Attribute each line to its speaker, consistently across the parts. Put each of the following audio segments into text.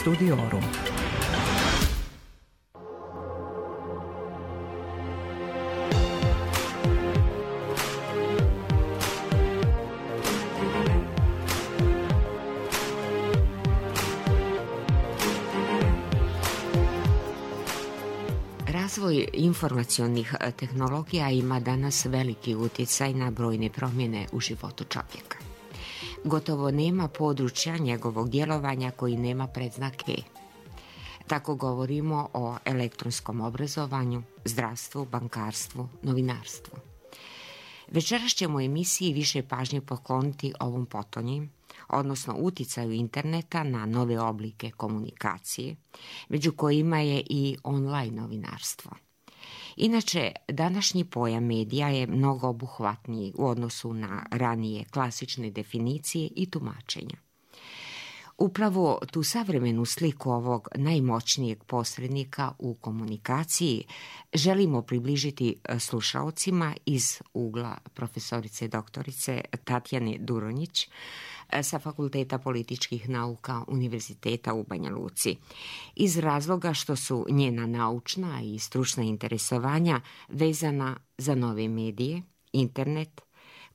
Speaker 1: Studiorum.
Speaker 2: Razvoj informacionih tehnologija ima danas veliki utjecaj na brojne promjene u životu čovjeka. Gotovo nema područja njegovog djelovanja koji nema predznak E. Tako govorimo o elektronskom obrazovanju, zdravstvu, bankarstvu, novinarstvu. Večeras ćemo u emisiji više pažnje pokloniti ovom potonji, odnosno utjecaju interneta na nove oblike komunikacije, među kojima je i online novinarstvo. Inače, današnji pojam medija je mnogo obuhvatniji u odnosu na ranije klasične definicije i tumačenja. Upravo tu savremenu sliku ovog najmoćnijeg posrednika u komunikaciji želimo približiti slušaocima iz ugla profesorice doktorice Tatjane Duronjić sa Fakulteta političkih nauka Univerziteta u Banja Luci, iz razloga što su njena naučna i stručna interesovanja vezana za nove medije, internet,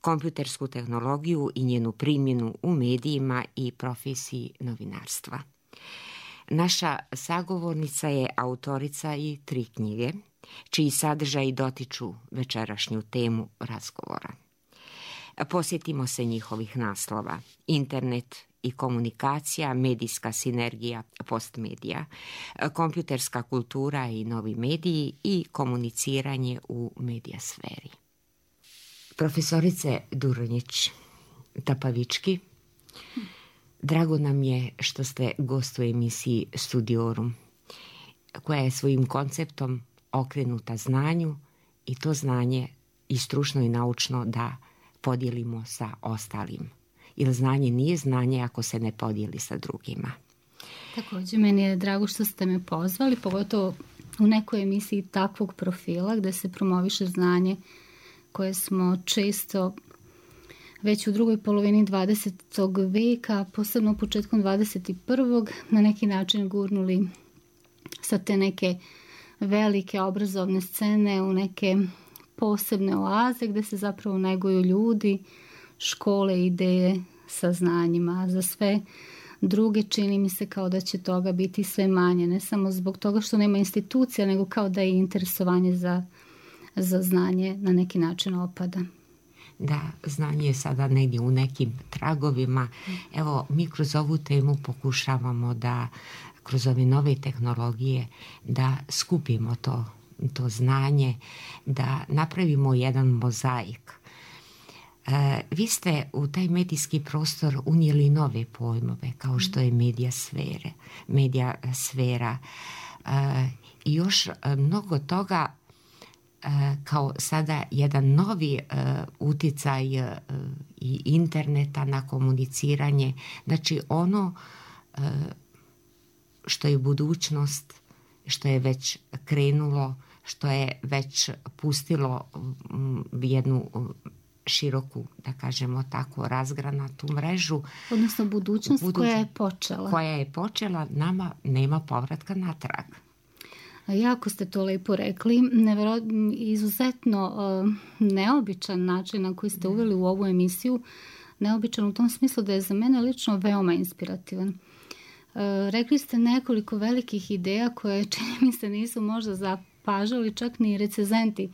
Speaker 2: kompjutersku tehnologiju i njenu primjenu u medijima i profesiji novinarstva. Naša sagovornica je autorica i 3 knjige, čiji sadržaji dotiču večerašnju temu razgovora. Posjetimo se njihovih naslova: internet i komunikacija, medijska sinergija, postmedija, kompjuterska kultura i novi mediji i komuniciranje u medijasferi. Profesorice Duronjić Tapavički, drago nam je što ste gost u emisiji Studiorum, koja je svojim konceptom okrenuta znanju i to znanje i stručno i naučno da podijelimo sa ostalim. Jer znanje nije znanje ako se ne podijeli sa drugima.
Speaker 3: Također, meni je drago što ste me pozvali, pogotovo u nekoj emisiji takvog profila gdje se promoviše znanje koje smo često već u drugoj polovini 20. veka, posebno početkom 21. na neki način gurnuli sa te neke velike obrazovne scene u neke posebne oaze gdje se zapravo neguju ljudi, škole, ideje, saznanjima. Za sve druge čini mi se kao da će toga biti sve manje, ne samo zbog toga što nema institucija, nego kao da je interesovanje za znanje na neki način opada.
Speaker 2: Da, znanje je sada negdje u nekim tragovima. Evo, mi kroz ovu temu pokušavamo da kroz ove nove tehnologije da skupimo to znanje, da napravimo jedan mozaik. Vi ste u taj medijski prostor unijeli nove pojmove, kao što je medijasfera i još mnogo toga, kao sada jedan novi utjecaj i interneta na komuniciranje. Znači ono što je budućnost, što je već krenulo, što je već pustilo jednu široku, da kažemo tako, razgranatu mrežu. Odnosno
Speaker 3: budućnost koja je počela.
Speaker 2: Koja je počela, nama nema povratka natrag.
Speaker 3: Jako ste to lepo rekli. Izuzetno neobičan način na koji ste uveli u ovu emisiju. Neobičan u tom smislu da je za mene lično veoma inspirativan. Rekli ste nekoliko velikih ideja koje, čini mi se, nisu možda zapažali čak ni recenzenti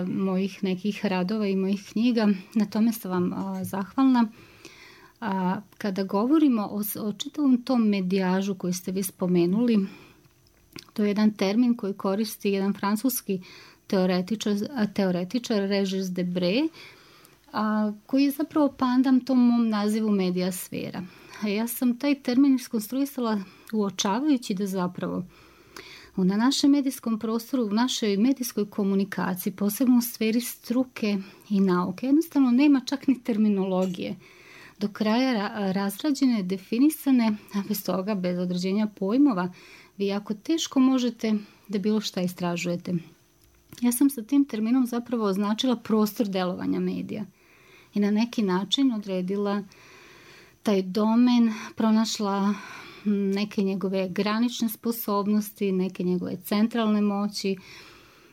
Speaker 3: mojih nekih radova i mojih knjiga. Na tome sam vam zahvalna. Kada govorimo o čitavom tom medijažu koji ste vi spomenuli, to je jedan termin koji koristi jedan francuski teoretičar Regis Debray, koji je zapravo pandam tom mom nazivu medijasfera. Ja sam taj termin iskonstruisala uočavajući da zapravo na našem medijskom prostoru, u našoj medijskoj komunikaciji, posebno u sferi struke i nauke, jednostavno nema čak ni terminologije do kraja razrađene, definisane, a bez toga, bez određenja pojmova, vi jako teško možete da bilo šta istražujete. Ja sam sa tim terminom zapravo označila prostor delovanja medija i na neki način odredila taj domen, pronašla neke njegove granične sposobnosti, neke njegove centralne moći,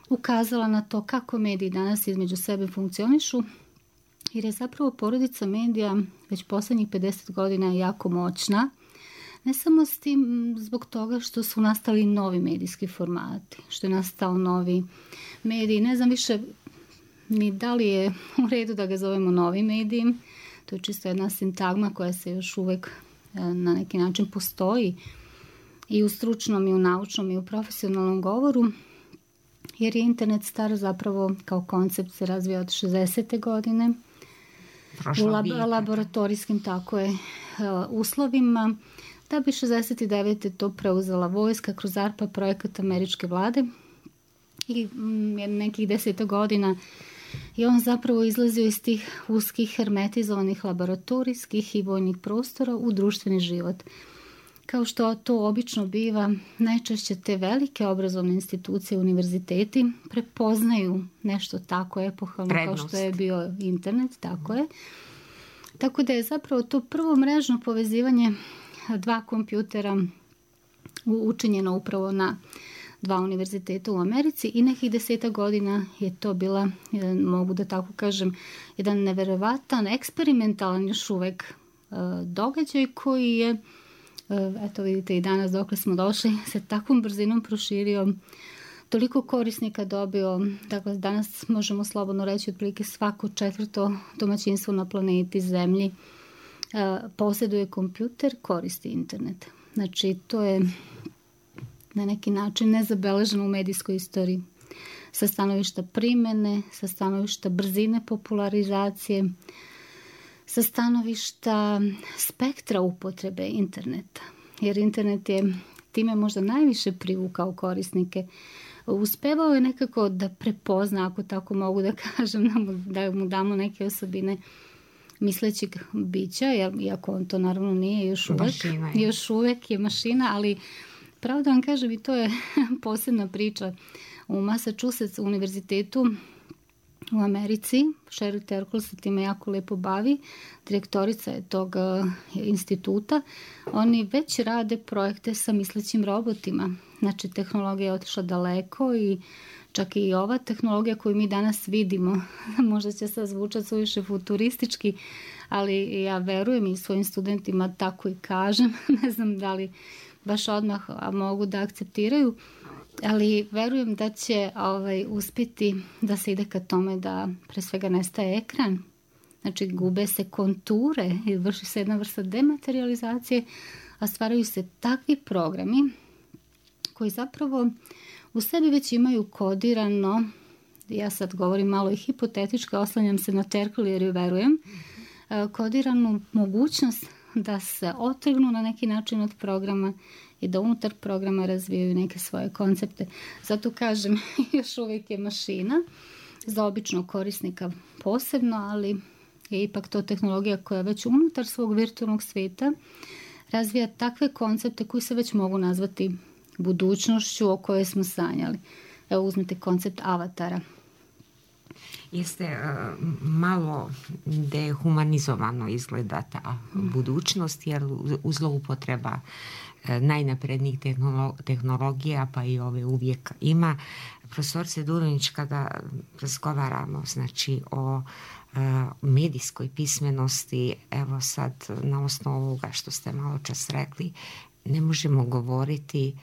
Speaker 3: ukazala na to kako mediji danas između sebe funkcionišu, jer je zapravo porodica medija već posljednjih 50 godina jako moćna. Ne samo s tim zbog toga što su nastali novi medijski formati, što je nastao novi mediji. Ne znam više ni da li je u redu da ga zovemo novi medij. To je čisto jedna sintagma koja se još uvijek na neki način postoji i u stručnom i u naučnom i u profesionalnom govoru, jer je internet star zapravo kao koncept se razvija od 60. godine u laboratorijskim uslovima, da bi 69. to preuzela vojska kroz ARPA projekat američke vlade i nekih 10 godina i on zapravo izlazio iz tih uskih hermetizovanih laboratorijskih i vojnih prostora u društveni život. Kao što to obično biva, najčešće te velike obrazovne institucije, univerziteti, prepoznaju nešto tako epohalno kao što je bio internet, tako je. Tako da je zapravo to prvo mrežno povezivanje dva kompjutera učinjeno upravo na dva univerziteta u Americi i nekih 10 godina je to bila, mogu da tako kažem, jedan neverovatan, eksperimentalan još uvek događaj koji je, eto vidite i danas dokle smo došli, se takvom brzinom proširio, toliko korisnika dobio, dakle danas možemo slobodno reći otprilike svako 4. domaćinstvo na planeti Zemlji posjeduje kompjuter, koristi internet. Znači to je na neki način nezabeleženo u medijskoj istoriji. Sa stanovišta primjene, sa stanovišta brzine popularizacije, sa stanovišta spektra upotrebe interneta. Jer internet je time možda najviše privukao korisnike. Uspevao je nekako da prepozna, ako tako mogu da kažem, da mu damo neke osobine mislećeg bića, iako on to naravno nije još uvek je mašina, ali pravo da vam kažem i to je posebna priča. U Massachusetts univerzitetu u Americi, Sheryl Terkel se time jako lepo bavi, direktorica je tog instituta, oni već rade projekte sa mislećim robotima. Znači tehnologija je otišla daleko i čak i ova tehnologija koju mi danas vidimo, možda će sad zvučati suviše futuristički, ali ja verujem i svojim studentima tako i kažem, ne znam da li baš odmah mogu da akceptiraju, ali verujem da će uspjeti da se ide ka tome da pre svega nestaje ekran, znači gube se konture i vrši se jedna vrsta dematerializacije, a stvaraju se takvi programi koji zapravo u sebi već imaju kodirano, ja sad govorim malo i hipotetički, oslanjam se na Terkel jer ju verujem, kodiranu mogućnost da se otrgnu na neki način od programa i da unutar programa razvijaju neke svoje koncepte. Zato kažem, još uvijek je mašina za običnog korisnika posebno, ali je ipak to tehnologija koja već unutar svog virtualnog svijeta razvija takve koncepte koji se već mogu nazvati budućnošću o kojoj smo sanjali. Evo uzmite koncept avatara.
Speaker 2: Jeste malo dehumanizovano izgleda ta budućnost, jer zloupotreba najnaprednijih tehnologija, pa i ove uvijek ima. Profesorice Dulinić, kada razgovaramo znači o medijskoj pismenosti, evo sad na osnovu ovoga što ste malo čas rekli, ne možemo govoriti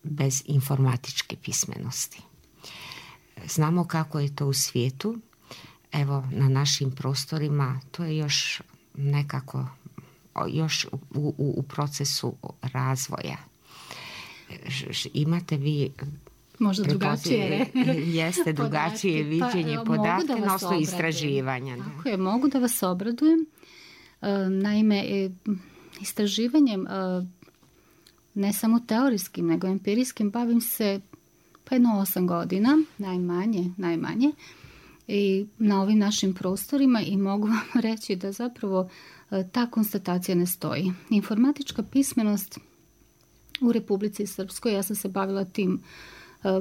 Speaker 2: bez informatičke pismenosti. Znamo kako je to u svijetu, evo na našim prostorima, to je još nekako još u procesu razvoja. Imate vi
Speaker 3: možda drugačije
Speaker 2: jeste drugačije viđenje podatke na osnovu istraživanja.
Speaker 3: Tako je, mogu da vas obradujem. Naime, istraživanjem ne samo teorijskim, nego empirijskim bavim se pa jedno 8 godina, najmanje, i na ovim našim prostorima i mogu vam reći da zapravo ta konstatacija ne stoji. Informatička pismenost u Republici Srpskoj, ja sam se bavila tim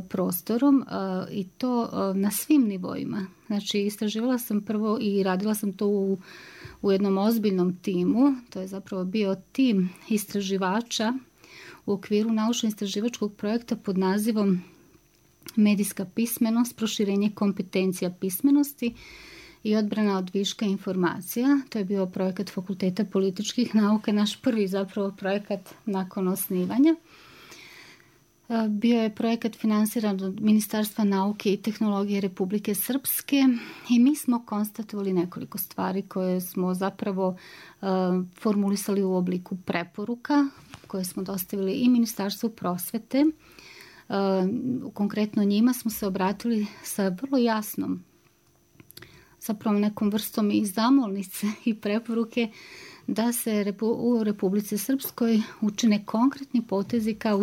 Speaker 3: prostorom i to na svim nivoima. Znači, istraživala sam prvo i radila sam to u u jednom ozbiljnom timu. To je zapravo bio tim istraživača u okviru naučno-istraživačkog projekta pod nazivom Medijska pismenost, proširenje kompetencija pismenosti i odbrana od viška informacija. To je bio projekat Fakulteta političkih nauka, naš prvi zapravo projekat nakon osnivanja. Bio je projekat finansiran od Ministarstva nauke i tehnologije Republike Srpske i mi smo konstatovali nekoliko stvari koje smo zapravo formulisali u obliku preporuka koje smo dostavili i Ministarstvu prosvete. Konkretno njima smo se obratili sa vrlo jasnom, zapravo nekom vrstom i zamolnice i preporuke da se u Republici Srpskoj učine konkretni potezi ka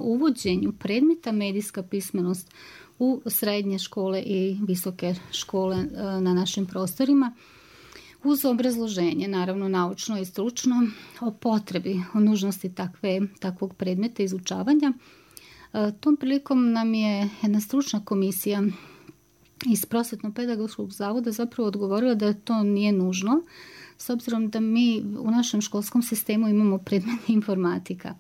Speaker 3: uvođenju predmeta medijska pismenost u srednje škole i visoke škole na našim prostorima, uz obrazloženje, naravno naučno i stručno, o potrebi, o nužnosti takvog predmeta izučavanja. Tom prilikom nam je jedna stručna komisija iz Prosvetno-pedagoškog zavoda zapravo odgovorila da to nije nužno, s obzirom da mi u našem školskom sistemu imamo predmet informatika.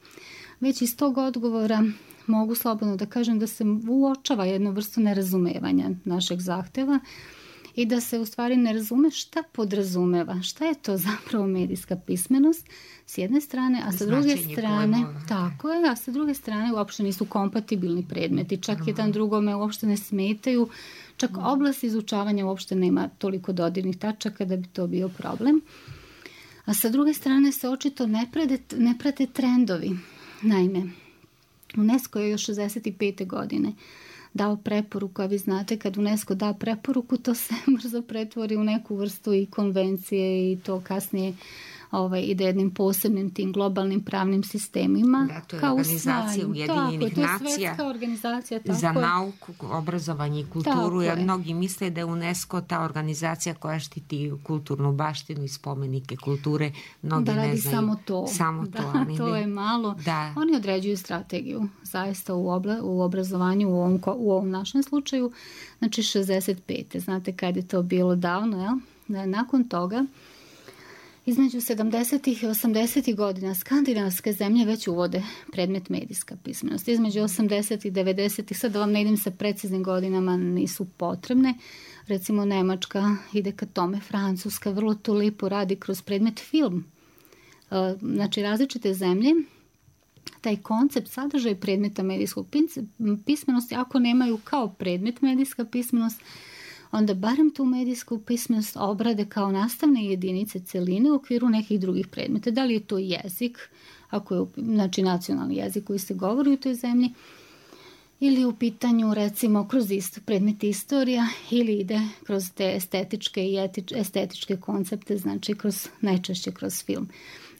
Speaker 3: Već iz tog odgovora mogu slobodno da kažem da se uočava jednu vrstu nerazumevanja našeg zahteva i da se u stvari ne razume šta podrazumeva, šta je to zapravo medijska pismenost s jedne strane, a sa druge strane, tako je, a sa druge strane uopšte nisu kompatibilni predmeti, čak jedan drugome uopšte ne smetaju, čak oblast izučavanja uopšte nema toliko dodirnih tačaka da bi to bio problem. A sa druge strane se očito ne prate trendovi. Naime, UNESCO je još 65. godine dao preporuku, a vi znate kad UNESCO da preporuku, to se brzo pretvori u neku vrstu i konvencije i to kasnije ide jednim posebnim tim globalnim pravnim sistemima.
Speaker 2: Da, to je organizacija Ujedinjenih nacija za nauku, obrazovanje i kulturu, jer mnogi misle da je UNESCO ta organizacija koja štiti kulturnu baštinu i spomenike kulture. Mnogi
Speaker 3: da radi
Speaker 2: ne znaju.
Speaker 3: Samo to. To je malo. Da. Oni određuju strategiju zaista u obrazovanju u ovom našem slučaju. Znači 65. Znate kad je to bilo davno, jel? Nakon toga između 70. i 80. godina skandinavske zemlje već uvode predmet medijska pismenost. Između 80. i 90. sad da vam ne idem sa preciznim godinama, nisu potrebne. Recimo Nemačka ide ka tome, Francuska vrlo to lijepo radi kroz predmet film. Znači različite zemlje taj koncept sadržaj predmeta medijskog pismenosti, ako nemaju kao predmet medijska pismenost, onda barem tu medijsku pismenost obrade kao nastavne jedinice celine u okviru nekih drugih predmeta. Da li je to jezik, ako je znači nacionalni jezik koji se govori u toj zemlji, ili u pitanju recimo kroz predmet istorija, ili ide kroz te estetičke i estetičke koncepte, znači najčešće kroz film.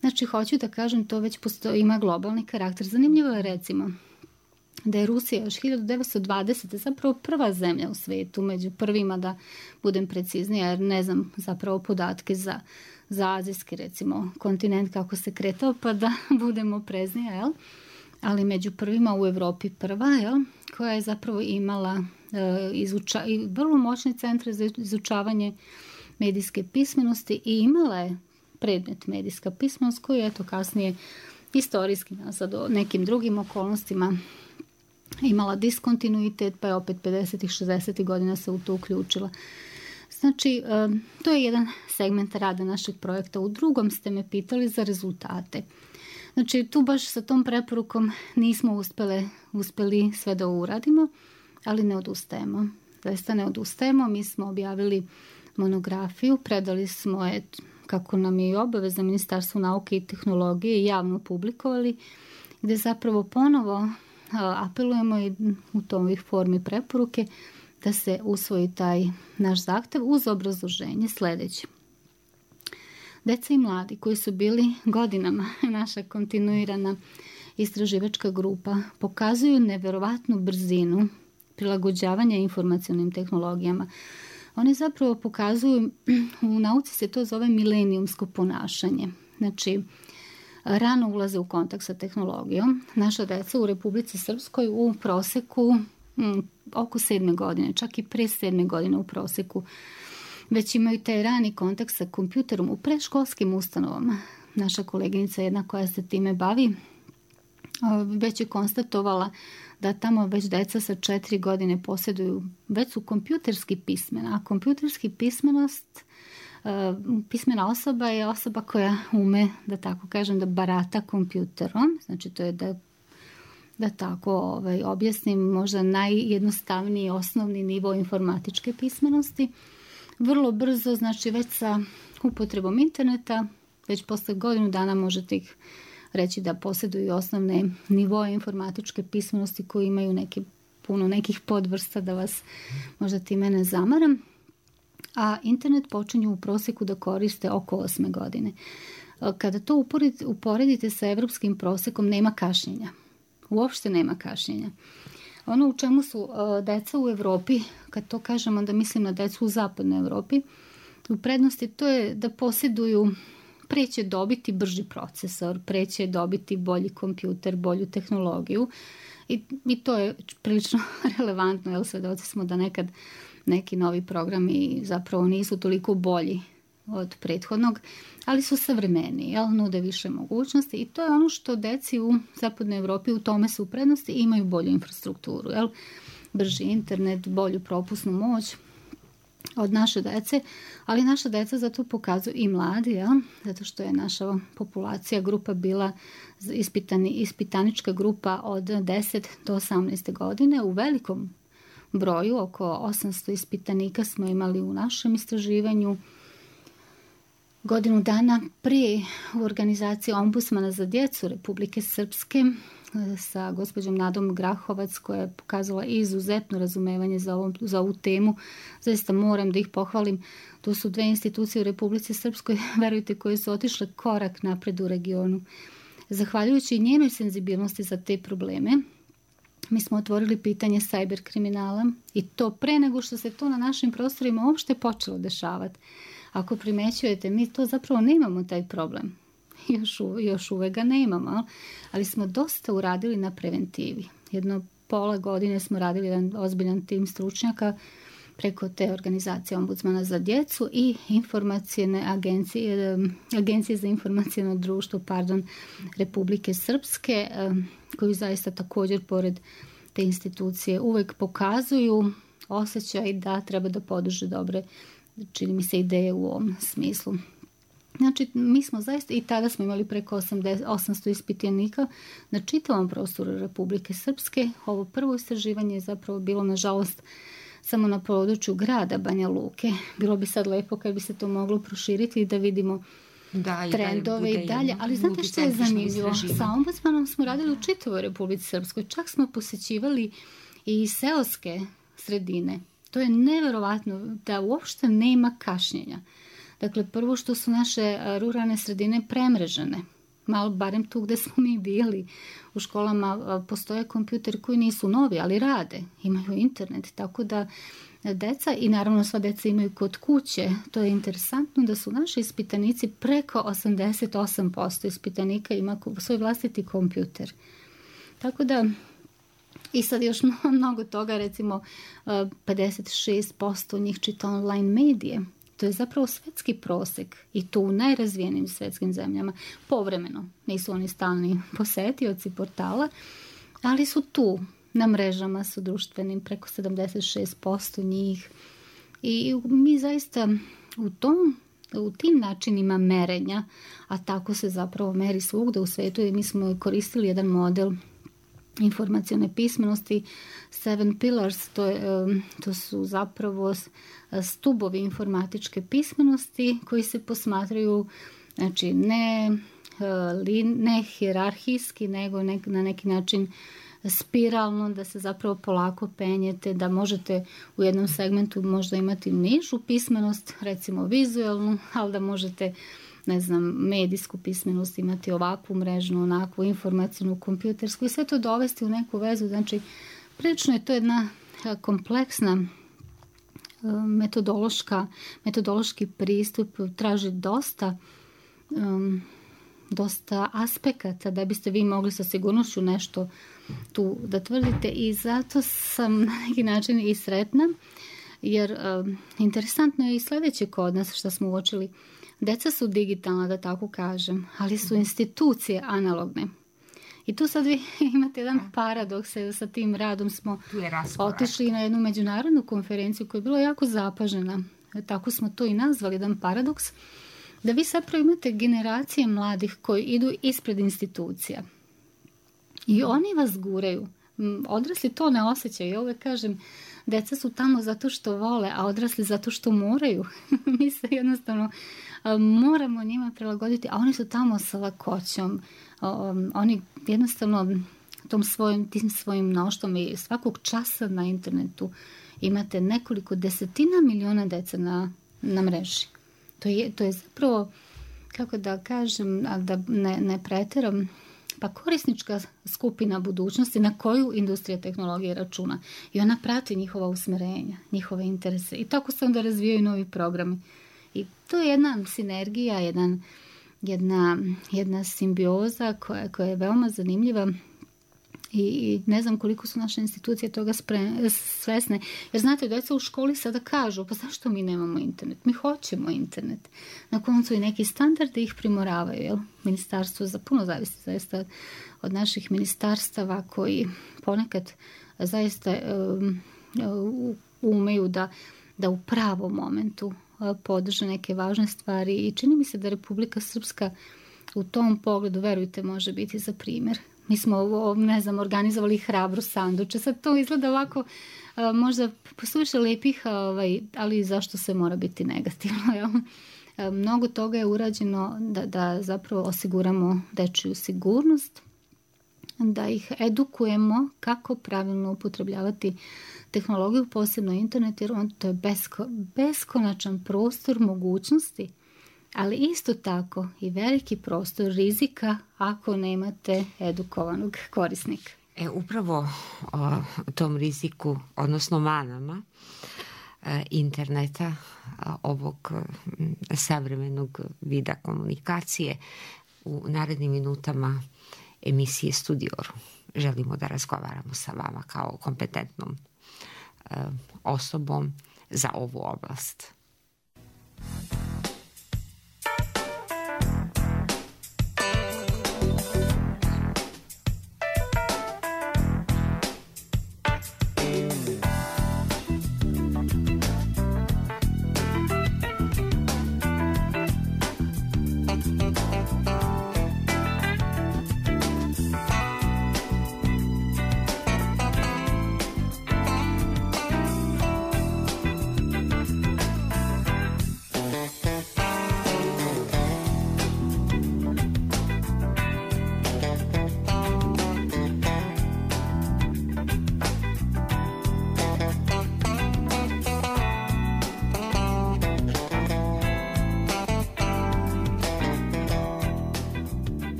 Speaker 3: Znači hoću da kažem, to već ima globalni karakter. Zanimljivo je recimo da je Rusija još 1920. zapravo prva zemlja u svijetu, među prvima, da budem preciznija, jer ne znam zapravo podatke za azijski recimo kontinent kako se kretao, pa da budemo preznija, jel? Ali među prvima u Europi prva, jel? Koja je zapravo imala vrlo moćne centre za izučavanje medijske pismenosti i imala je predmet medijska pismenost koji je to kasnije historijski nazad o nekim drugim okolnostima imala diskontinuitet, pa je opet 50. 60. godina se u to uključila. Znači, to je jedan segment rada našeg projekta. U drugom ste me pitali za rezultate. Znači, tu baš sa tom preporukom nismo uspjeli sve da uradimo, ali ne odustajemo. Zaista ne odustajemo. Mi smo objavili monografiju, predali smo je, kako nam je i obaveza, Ministarstvu nauke i tehnologije, javno publikovali, gdje zapravo ponovo apelujemo i u toj formi preporuke da se usvoji taj naš zahtev uz obrazloženje sljedeće. Deca i mladi koji su bili godinama naša kontinuirana istraživačka grupa pokazuju neverovatnu brzinu prilagođavanja informacionim tehnologijama. Oni zapravo pokazuju, u nauci se to zove milenijumsko ponašanje. Znači, rano ulaze u kontakt sa tehnologijom. Naša deca u Republici Srpskoj u proseku oko 7. godine, čak i pre 7. godine u proseku već imaju taj rani kontakt sa kompjuterom u predškolskim ustanovama. Naša koleginica jedna koja se time bavi već je konstatovala da tamo već deca sa 4 godine posjeduju, već su kompjuterski pismena, a kompjuterski pismena osoba je osoba koja ume, da tako kažem, da barata kompjuterom, znači to je da tako objasnim, možda najjednostavniji osnovni nivo informatičke pismenosti. Vrlo brzo, znači već sa upotrebom interneta, već posle godinu dana možete ih reći da posjeduju osnovne nivoe informatičke pismenosti koji imaju puno nekih podvrsta, da vas možda time ne zamaram. A internet počinju u prosjeku da koriste oko 8 godine. Kada to uporedite sa evropskim prosjekom, nema kašnjenja. Uopšte nema kašnjenja. Ono u čemu su deca u Evropi, kad to kažem, onda mislim na decu u zapadnoj Evropi, u prednosti to je da posjeduju, pre će dobiti brži procesor, pre će dobiti bolji kompjuter, bolju tehnologiju i to je prilično relevantno, jer svedoci smo da nekad neki novi programi zapravo nisu toliko bolji od prethodnog, ali su savremeniji, nude više mogućnosti i to je ono što deci u zapadnoj Evropi u tome su u prednosti i imaju bolju infrastrukturu, brži internet, bolju propusnu moć od naše dece, ali naša deca zato pokazuju i mladi, zato što je naša populacija grupa bila ispitanička grupa od 10 do 18 godine. U velikom broju, oko 800 ispitanika smo imali u našem istraživanju. Godinu dana prije u organizaciji Ombudsmana za djecu Republike Srpske sa gospođom Nadom Grahovac, koja je pokazala izuzetno razumevanje za ovu temu. Zaista moram da ih pohvalim. Tu su 2 institucije u Republici Srpskoj, verujte, koje su otišle korak napred u regionu. Zahvaljujući njenoj senzibilnosti za te probleme, mi smo otvorili pitanje cyber kriminala i to pre nego što se to na našim prostorima uopšte počelo dešavati. Ako primećujete, mi to zapravo nemamo taj problem. Još uvek ga nemamo, ali smo dosta uradili na preventivi. Jedno pola godine smo radili jedan ozbiljan tim stručnjaka preko te organizacije Ombudsmana za djecu i Agencije za informaciono društvo Republike Srpske, koju zaista također pored te institucije uvek pokazuju osjećaj da treba da podrže dobre, čini mi se, ideje u ovom smislu. Znači, mi smo zaista, i tada smo imali preko 800 ispitanika na čitavom prostoru Republike Srpske. Ovo prvo istraživanje je zapravo bilo, nažalost, samo na području grada Banja Luke. Bilo bi sad lepo kad bi se to moglo proširiti i da vidimo trendove i dalje. Ali znate što je zanimljivo? Sa ombudsmanom smo radili u čitavoj Republici Srpskoj. Čak smo posjećivali i seoske sredine. To je neverovatno da uopšte nema kašnjenja. Dakle, prvo što su naše ruralne sredine premrežene. Malo barem tu gde smo mi bili. U školama postoje kompjuteri koji nisu novi, ali rade. Imaju internet, tako da deca, i naravno sva deca imaju kod kuće. To je interesantno da su naši ispitanici, preko 88% ispitanika ima svoj vlastiti kompjuter. Tako da, i sad još mnogo toga, recimo 56% njih čita online medije. To je zapravo svetski prosek i to u najrazvijenijim svetskim zemljama. Povremeno, nisu oni stalni posetioci portala, ali su tu, na mrežama su društvenim, preko 76% njih. I mi zaista u tim načinima merenja, a tako se zapravo meri svugde u svetu, i mi smo koristili jedan model informacione pismenosti, 7 pillars, to su zapravo stubovi informatičke pismenosti koji se posmatraju, znači ne hijerarhijski, nego na neki način spiralno, da se zapravo polako penjete, da možete u jednom segmentu možda imati nižu pismenost, recimo vizualnu, ali da možete, ne znam, medijsku pismenost imati ovakvu mrežnu, onakvu informacijnu, kompjutersku i sve to dovesti u neku vezu. Znači, prilično je to jedna kompleksna metodološki pristup, traži dosta aspekata da biste vi mogli sa sigurnošću nešto tu da tvrdite, i zato sam na neki način i sretna Jer interesantno je i sledeće kod nas što smo uočili. Deca su digitalna, da tako kažem, ali su institucije analogne. I tu sad vi imate jedan paradoks, sa tim radom smo otišli na jednu međunarodnu konferenciju koja je bila jako zapažena. Tako smo to i nazvali, jedan paradoks, da vi zapravo imate generacije mladih koji idu ispred institucija. I oni vas guraju. Odrasli to ne osjećaju. Ja uvek kažem, deca su tamo zato što vole, a odrasli zato što moraju. Mi se jednostavno moramo njima prilagoditi, a oni su tamo sa lakoćom. Oni jednostavno tim svojim mnoštvom i svakog časa na internetu imate nekoliko desetina miliona dece na mreži. To je zapravo, kako da kažem, da ne preteram, pa korisnička skupina budućnosti na koju industrija tehnologije računa. I ona prati njihova usmerenja, njihove interese. I tako se onda razvijaju novi programi. I to je jedna sinergija, jedna simbioza koja je veoma zanimljiva. I ne znam koliko su naše institucije toga svesne. Jer znate, djeca u školi sada kažu, pa zašto mi nemamo internet? Mi hoćemo internet. Na koncu i neki standardi ih primoravaju. Jel? Ministarstvo puno zavisi zaista od naših ministarstava koji ponekad zaista umeju da u pravom momentu podrže neke važne stvari. I čini mi se da Republika Srpska u tom pogledu, verujte, može biti za primjer. Mi smo, organizovali hrabro sanduče. Sad to izgleda ovako, možda suviše lepih, ali zašto se mora biti negativno? Mnogo toga je urađeno da zapravo osiguramo dečiju sigurnost, da ih edukujemo kako pravilno upotrebljavati tehnologiju, posebno internet, jer to je beskonačan prostor mogućnosti, ali isto tako i veliki prostor rizika ako nemate edukovanog korisnika.
Speaker 2: Upravo o tom riziku, odnosno manama interneta, ovog savremenog vida komunikacije, u narednim minutama emisije Studioru želimo da razgovaramo sa vama kao kompetentnom osobom za ovu oblast.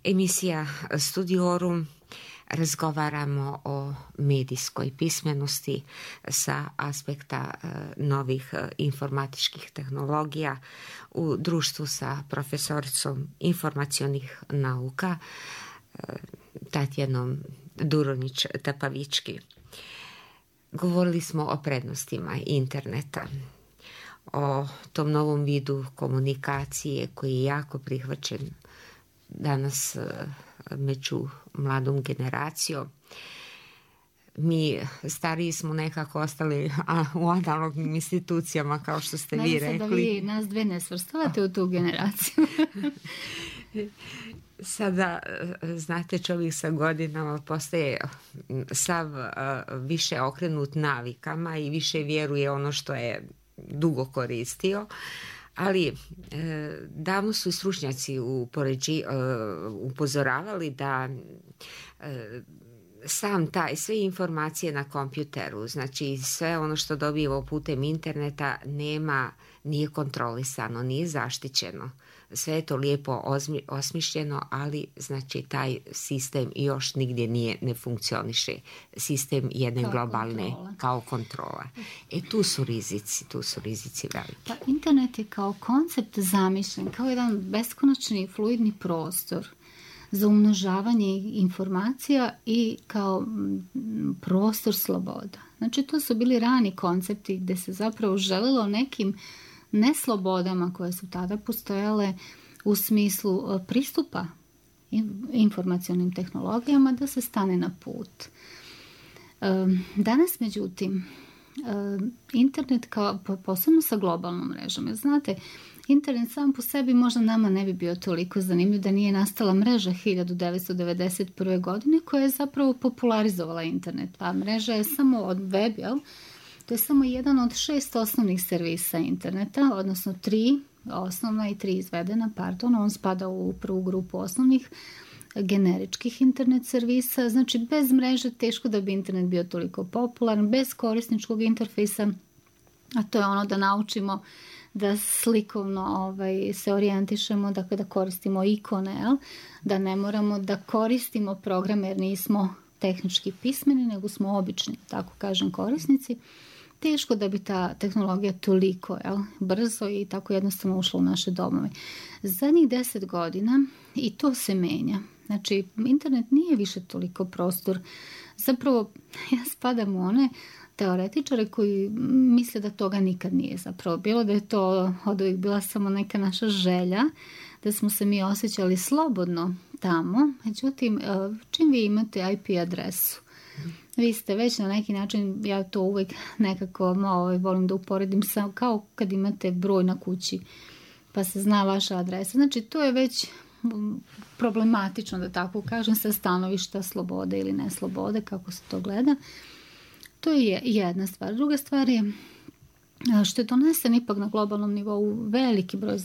Speaker 2: Emisija Studiorum, razgovaramo o medijskoj pismenosti sa aspekta novih informatičkih tehnologija u društvu sa profesoricom informacionih nauka Tatjanom Duronić-Tapavički. Govorili smo o prednostima interneta, o tom novom vidu komunikacije koji je jako prihvaćen danas među mladom generacijom. Mi stariji smo nekako ostali u analognim institucijama, kao što ste vi rekli.
Speaker 3: Da vi nas dve ne svrstavate u tu generaciju.
Speaker 2: Sada, znate, čovjek sa godinama postaje sav više okrenut navikama i više vjeruje ono što je dugo koristio. Ali davno su i stručnjaci upozoravali da sam taj, sve informacije na kompjuteru, znači sve ono što dobijemo putem interneta nije kontrolisano, nije zaštićeno. Sve je to lijepo osmišljeno, ali znači taj sistem još nigdje ne funkcioniše. Sistem jedne globalne kao kontrola. Tu su rizici veliki.
Speaker 3: Pa internet je kao koncept zamišljen, kao jedan beskonačni fluidni prostor za umnožavanje informacija i kao prostor sloboda. Znači to su bili rani koncepti gdje se zapravo želelo nekim neslobodama koje su tada postojale u smislu pristupa informacionim tehnologijama da se stane na put. Danas, međutim, internet kao posebno sa globalnom mrežom, jer znate, internet sam po sebi možda nama ne bi bio toliko zanimljiv da nije nastala mreža 1991. godine koja je zapravo popularizovala internet. A mreža je samo od web, jel? To je samo jedan od 6 osnovnih servisa interneta, odnosno 3 osnovna i 3 izvedena, on spada u prvu grupu osnovnih generičkih internet servisa. Znači, bez mreže teško da bi internet bio toliko popularan, bez korisničkog interfejsa, a to je ono da naučimo da slikovno se orijentišemo, dakle da koristimo ikone, da ne moramo da koristimo programe jer nismo tehnički pismeni, nego smo obični, tako kažem, korisnici. Teško da bi ta tehnologija toliko brzo i tako jednostavno ušla u naše domove. Zadnjih 10 godina i to se menja. Znači, internet nije više toliko prostor. Zapravo, ja spadam u one teoretičare koji misle da toga nikad nije zapravo bilo, da je to od uvijek bila samo neka naša želja, da smo se mi osjećali slobodno tamo. Međutim, čim vi imate IP adresu, vi ste već na neki način, ja to uvijek nekako volim da uporedim kao kad imate broj na kući pa se zna vaša adresa. Znači, to je već problematično, da tako kažem, sa stanovišta slobode ili neslobode, kako se to gleda. To je jedna stvar. Druga stvar je što je donesen ipak na globalnom nivou veliki broj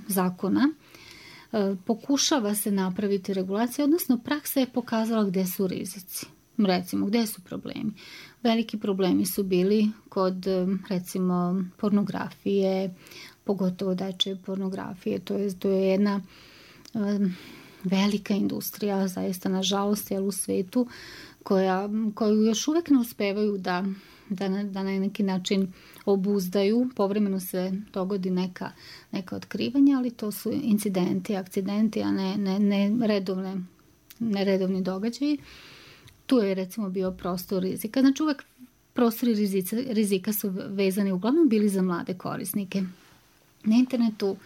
Speaker 3: zakona. Pokušava se napraviti regulacija, odnosno praksa je pokazala gdje su rizici. Recimo, gdje su problemi? Veliki problemi su bili kod, recimo, pornografije, pogotovo dečje pornografije. To je jedna velika industrija, zaista nažalost, u svijetu, koju još uvijek ne uspevaju da na neki način obuzdaju. Povremeno se dogodi neka otkrivanja, ali to su incidenti, akcidenti, a ne redovni događaji. Tu je recimo bio prostor rizika. Znači uvek prostori rizika su vezani uglavnom bili za mlade korisnike. Na internetu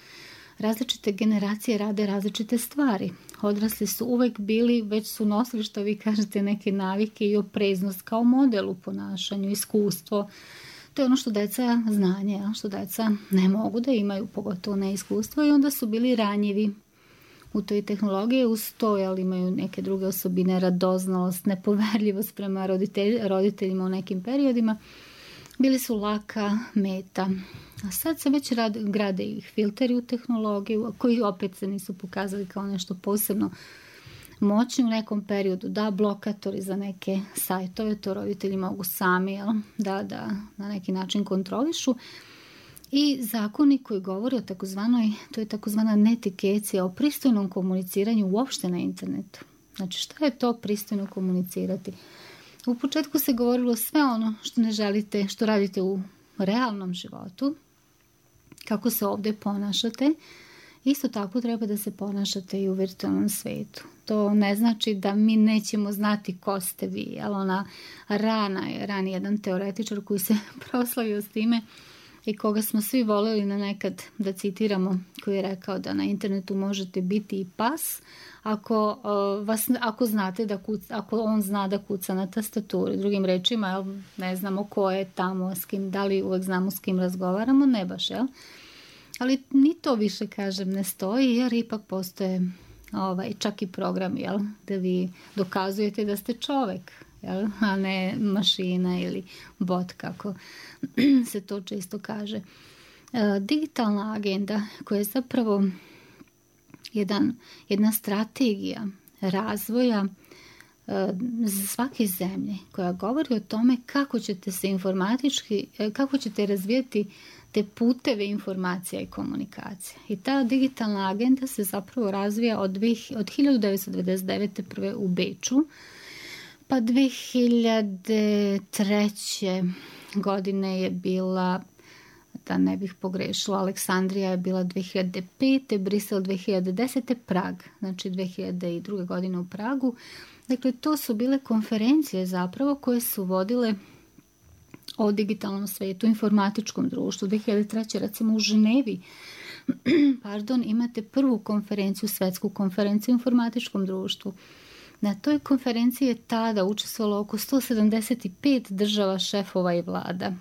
Speaker 3: različite generacije rade različite stvari. Odrasli su uvek bili, već su nosili, što vi kažete, neke navike i opreznost kao model u ponašanju, iskustvo. To je ono što deca znanje, što deca ne mogu da imaju, pogotovo ne iskustvo, i onda su bili ranjivi u toj tehnologiji. Uz to imaju neke druge osobine, radoznalost, nepoverljivost prema roditeljima u nekim periodima. Bili su laka meta. A sad se već grade i filteri u tehnologiju, koji opet se nisu pokazali kao nešto posebno moćni u nekom periodu. Da, blokatori za neke sajtove, to roditelji mogu sami da na neki način kontrolišu. I zakoni koji govore o to je takozvana netikecija, o pristojnom komuniciranju uopšte na internetu. Znači, šta je to pristojno komunicirati? U početku se govorilo sve ono što ne želite, što radite u realnom životu, kako se ovdje ponašate. Isto tako treba da se ponašate i u virtualnom svijetu. To ne znači da mi nećemo znati ko ste vi. Rani jedan teoretičar koji se proslavio s time i koga smo svi voljeli na nekad da citiramo, koji je rekao da na internetu možete biti i pas ako znate ako on zna da kuca na tastaturi. Drugim rečima, ne znamo ko je tamo, s kim, da li uvek znamo s kim razgovaramo, ne baš, ali ni to više, kažem, ne stoji, jer ipak postoje čak i program, da vi dokazujete da ste čovek, a ne mašina ili bot, kako se to često kaže. Digitalna agenda, koja je zapravo jedna strategija razvoja svake zemlje, koja govori o tome kako ćete se informatički, kako ćete razvijati te puteve informacija i komunikacija. I ta digitalna agenda se zapravo razvija od 1999. prve u Beču, pa 2003. godine je bila da ne bih pogrešila. Aleksandrija je bila 2005. Brisel 2010. Prag, znači 2002. godine u Pragu. Dakle, to su bile konferencije zapravo koje su vodile o digitalnom svetu, informatičkom društvu. 2003. recimo u Ženevi imate prvu konferenciju, svetsku konferenciju o informatičkom društvu. Na toj konferenciji je tada učestvovalo oko 175 država, šefova i vlada.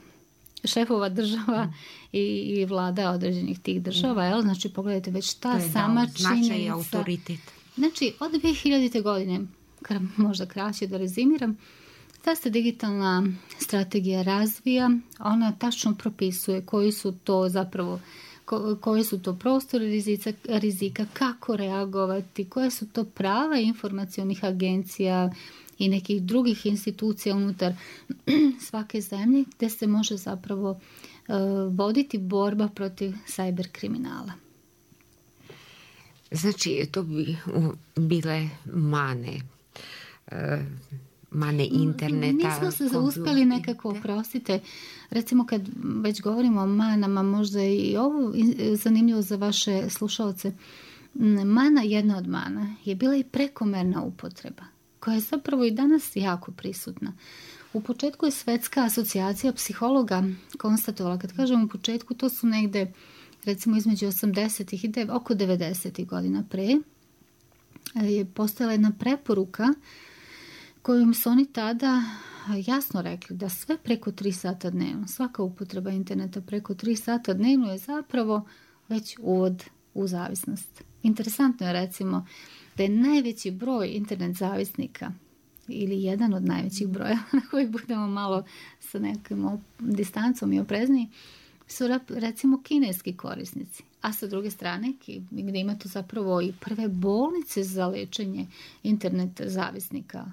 Speaker 3: Šefova država i vlada određenih tih država. Jel? Znači, pogledajte, već ta sama činjenica.
Speaker 2: Autoritet.
Speaker 3: Znači, od 2000. godine, možda kraće da rezimiram, ta se digitalna strategija razvija, ona tačno propisuje koji su to zapravo, koji su to prostori rizika, kako reagovati, koje su to prava informacionih agencija i nekih drugih institucija unutar svake zemlje gdje se može zapravo voditi borba protiv cyber kriminala.
Speaker 2: Znači, to bi bile mane interneta.
Speaker 3: Nismo se uspjeli nekako, oprostite, recimo kad već govorimo o manama, možda i ovo zanimljivo za vaše slušalce. Jedna od mana je bila i prekomerna upotreba, koja je zapravo i danas jako prisutna. U početku je Svetska asocijacija psihologa konstatovala, kad kažem u početku, to su negde recimo između 80-ih i oko 90-ih godina pre, je postojala jedna preporuka kojom su oni tada jasno rekli da sve preko 3 sata dnevno, svaka upotreba interneta preko 3 sata dnevno je zapravo već uvod u zavisnost. Interesantno je recimo da je najveći broj internet zavisnika ili jedan od najvećih broja na koji budemo malo sa nekom distancom i oprezniji su recimo kineski korisnici. A sa druge strane, gdje ima to zapravo i prve bolnice za lečenje internet zavisnika.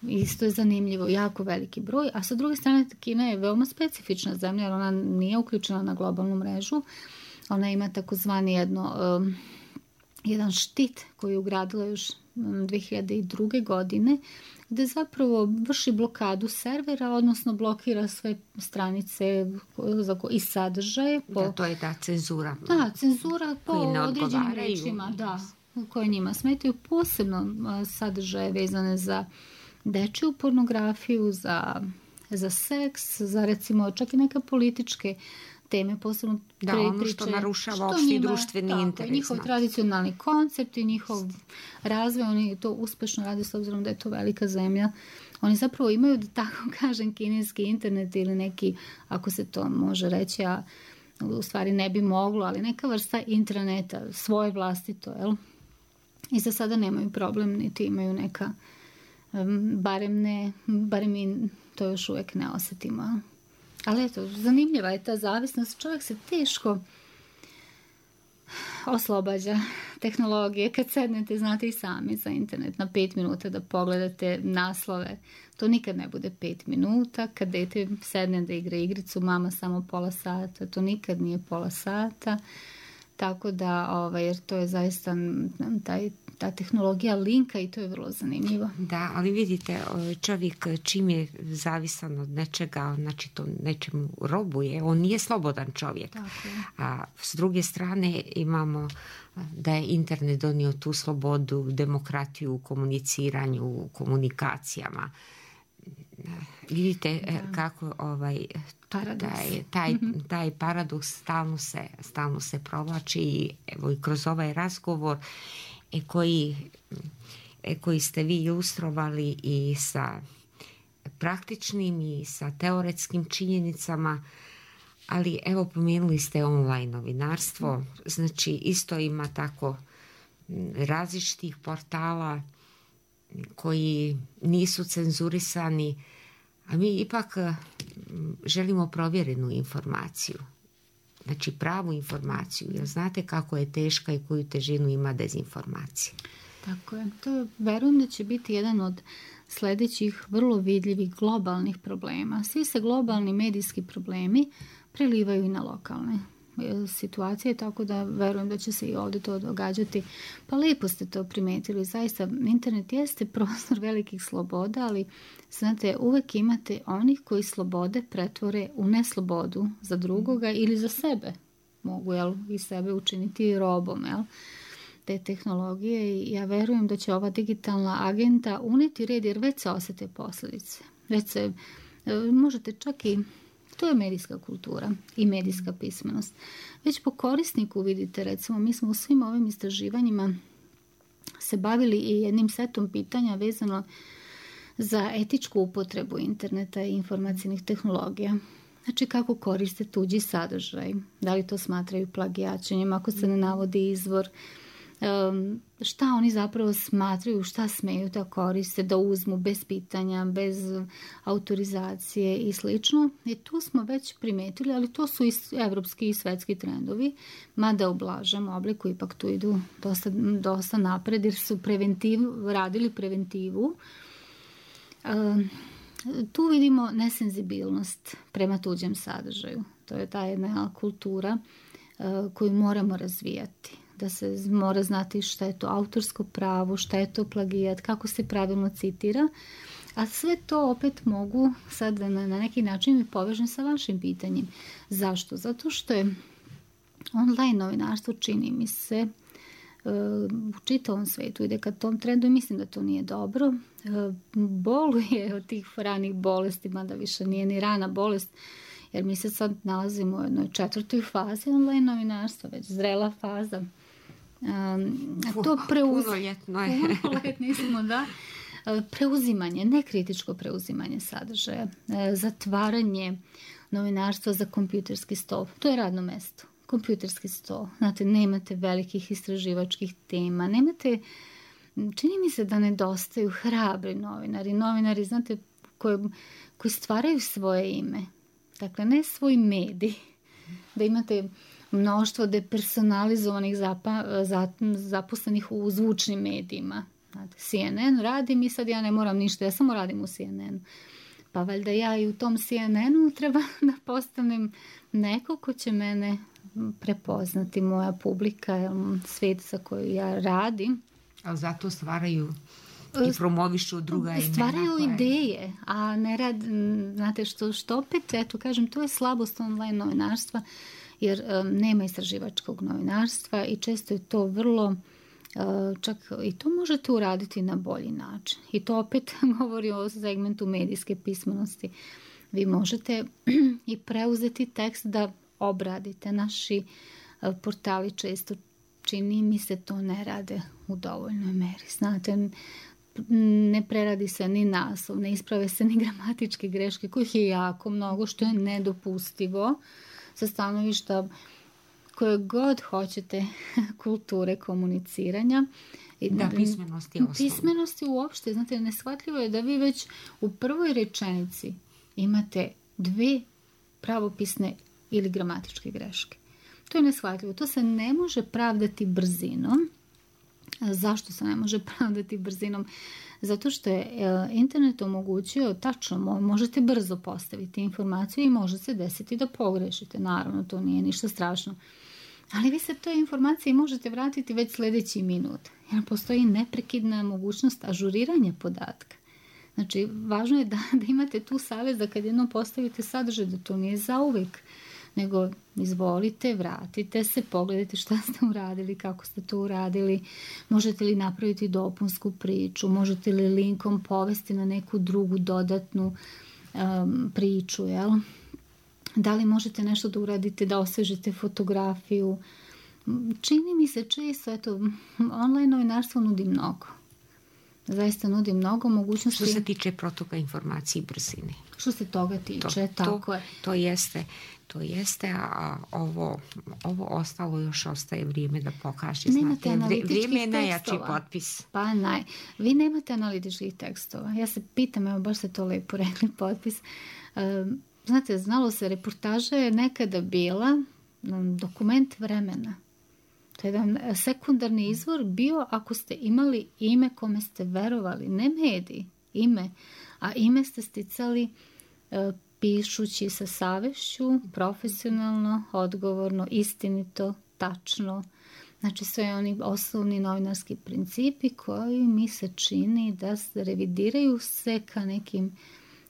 Speaker 3: Isto je zanimljivo, jako veliki broj. A sa druge strane, Kina je veoma specifična zemlja, jer ona nije uključena na globalnu mrežu. Ona ima takozvani jedan štit koji je ugradila još 2002. godine, gdje zapravo vrši blokadu servera, odnosno blokira sve stranice i sadržaje.
Speaker 2: To je ta cenzura.
Speaker 3: Da, cenzura po određenim rečima, koje njima smetaju, posebno sadržaje vezane za dečju pornografiju, za seks, za recimo čak i neke političke teme, posebno
Speaker 2: ono što narušava opšti društveni interes.
Speaker 3: Njihov tradicionalni koncept i njihov razvoj, oni to uspešno rade s obzirom da je to velika zemlja. Oni zapravo imaju, da tako kažem, kineski internet ili neki, ako se to može reći, a u stvari ne bi moglo, ali neka vrsta intraneta, svoje vlastito, jel? I za sada nemaju problem, niti imaju neka, barem mi to još uvijek ne osjetimo. Ali eto, zanimljiva je ta zavisnost. Čovjek se teško oslobađa tehnologije. Kad sednete, znate i sami za internet na 5 minuta da pogledate naslove. To nikad ne bude 5 minuta. Kad dete sedne da igra igricu, mama samo pola sata. To nikad nije pola sata. Tako da, jer to je zaista ta tehnologija linka i to je vrlo zanimljivo.
Speaker 2: Da, ali vidite, čovjek čim je zavisan od nečega, znači to nečemu robuje, on nije slobodan čovjek.
Speaker 3: Tako.
Speaker 2: A s druge strane imamo da je internet donio tu slobodu, demokratiju u komuniciranju, u komunikacijama. Vidite kako taj paradoks stalno se provlači i evo i kroz ovaj razgovor koji ste vi ilustrovali i sa praktičnim i sa teoretskim činjenicama, ali evo pomenuli ste online novinarstvo, znači isto ima tako različitih portala koji nisu cenzurisani, a mi ipak želimo provjerenu informaciju. Znači pravu informaciju, jer znate kako je teška i koju težinu ima dezinformacija.
Speaker 3: Tako je. To verujem da će biti jedan od sljedećih vrlo vidljivih globalnih problema. Svi se globalni medijski problemi prelivaju i na lokalne. situacije, tako da verujem da će se i ovdje to događati. Pa lijepo ste to primetili, zaista internet jeste prostor velikih sloboda, ali znate, uvek imate onih koji slobode pretvore u neslobodu za drugoga ili za sebe. Mogu i sebe učiniti robom, te tehnologije, i ja verujem da će ova digitalna agenda uneti red, jer već se osjete posljedice. Već se, možete čak i, to je medijska kultura i medijska pismenost. Već po korisniku vidite, recimo, mi smo u svim ovim istraživanjima se bavili i jednim setom pitanja vezano za etičku upotrebu interneta i informacijnih tehnologija. Znači, kako koriste tuđi sadržaj, da li to smatraju plagijačenjem, ako se ne navodi izvor, šta oni zapravo smatraju, šta smeju da koriste, da uzmu bez pitanja, bez autorizacije i slično. I tu smo već primetili, ali to su i evropski i svetski trendovi, mada u blažem obliku ipak tu idu dosta napred, jer su radili preventivu. Tu vidimo nesenzibilnost prema tuđem sadržaju. To je ta jedna kultura koju moramo razvijati. Da se mora znati šta je to autorsko pravo, šta je to plagijat, kako se pravilno citira. A sve to opet mogu sad na neki način mi povežem sa vašim pitanjem. Zašto? Zato što je online novinarstvo, čini mi se, u čitavom svetu ide ka tom trendu i mislim da to nije dobro. Boluje od tih ranih bolesti, mada više nije ni rana bolest, jer mi se sad nalazimo u jednoj 4. fazi online novinarstva, već zrela faza. To punoljetni smo, da. Preuzimanje, nekritičko preuzimanje sadržaja, zatvaranje novinarstva za kompjuterski stol. To je radno mesto. Kompjuterski stol. Znate, nemate velikih istraživačkih tema, nemate, čini mi se da nedostaju hrabri novinari, znate, koji stvaraju svoje ime. Dakle, ne svoj medij, da imate mnoštvo depersonalizovanih zaposlenih u zvučnim medijima. Znate, CNN radim i sad ja ne moram ništa, ja samo radim u CNN-u. Pa valjda ja i u tom CNN-u treba da postanem neko ko će mene prepoznati, moja publika, svijet sa koju ja radim.
Speaker 2: Ali zato stvaraju i promovišu druga imena.
Speaker 3: Stvaraju ideje, a ne rad, znate što opet, eto kažem, to je slabost online novinarstva, jer nema istraživačkog novinarstva i često je to vrlo, čak i to možete uraditi na bolji način. I to opet govori o segmentu medijske pismenosti. Vi možete i preuzeti tekst da obradite. Naši portali često, čini mi se, to ne rade u dovoljnoj meri. Znate, ne preradi se ni naslov, ne isprave se ni gramatičke greške, kojih je jako mnogo, što je nedopustivo sa stanovišta koje god hoćete kulture komuniciranja.
Speaker 2: Da, pismenosti osnovno.
Speaker 3: Pismenosti uopšte, znate, neshvatljivo je da vi već u prvoj rečenici imate 2 pravopisne ili gramatičke greške. To je neshvatljivo. To se ne može pravdati brzinom. Zašto se ne može pravdati brzinom? Zato što je internet omogućio, tačno, možete brzo postaviti informaciju i može se desiti da pogrešite. Naravno, to nije ništa strašno. Ali vi se toj informaciji možete vratiti već sljedeći minut. Jer postoji neprekidna mogućnost ažuriranja podatka. Znači, važno je da imate tu savez da kad jednom postavite sadržaj, da to nije zauvijek, nego izvolite, vratite se, pogledajte šta ste uradili, kako ste to uradili, možete li napraviti dopunsku priču, možete li linkom povesti na neku drugu dodatnu priču, jel? Da li možete nešto da uradite, da osvežite fotografiju. Čini mi se često, eto, online novinarstvo nudi mnogo. Zaista nudi mnogo mogućnosti.
Speaker 2: Što se tiče protoka informacije i brzine.
Speaker 3: Što se toga tiče, tako je.
Speaker 2: To jeste, a ovo ostalo još ostaje vrijeme da pokaže.
Speaker 3: Nemate analitičkih
Speaker 2: vrijeme je najjači
Speaker 3: tekstova.
Speaker 2: potpis.
Speaker 3: Pa vi nemate analitičkih tekstova. Ja se pitam, evo baš ste to lepo rekli, potpis. Znate, znalo se, reportaža je nekada bila dokument vremena. To je jedan sekundarni izvor bio ako ste imali ime kome ste verovali, ne mediji, ime. A ime ste sticali pišući sa savešću, profesionalno, odgovorno, istinito, tačno. Znači sve oni osnovni novinarski principi koji mi se čini da se revidiraju se ka nekim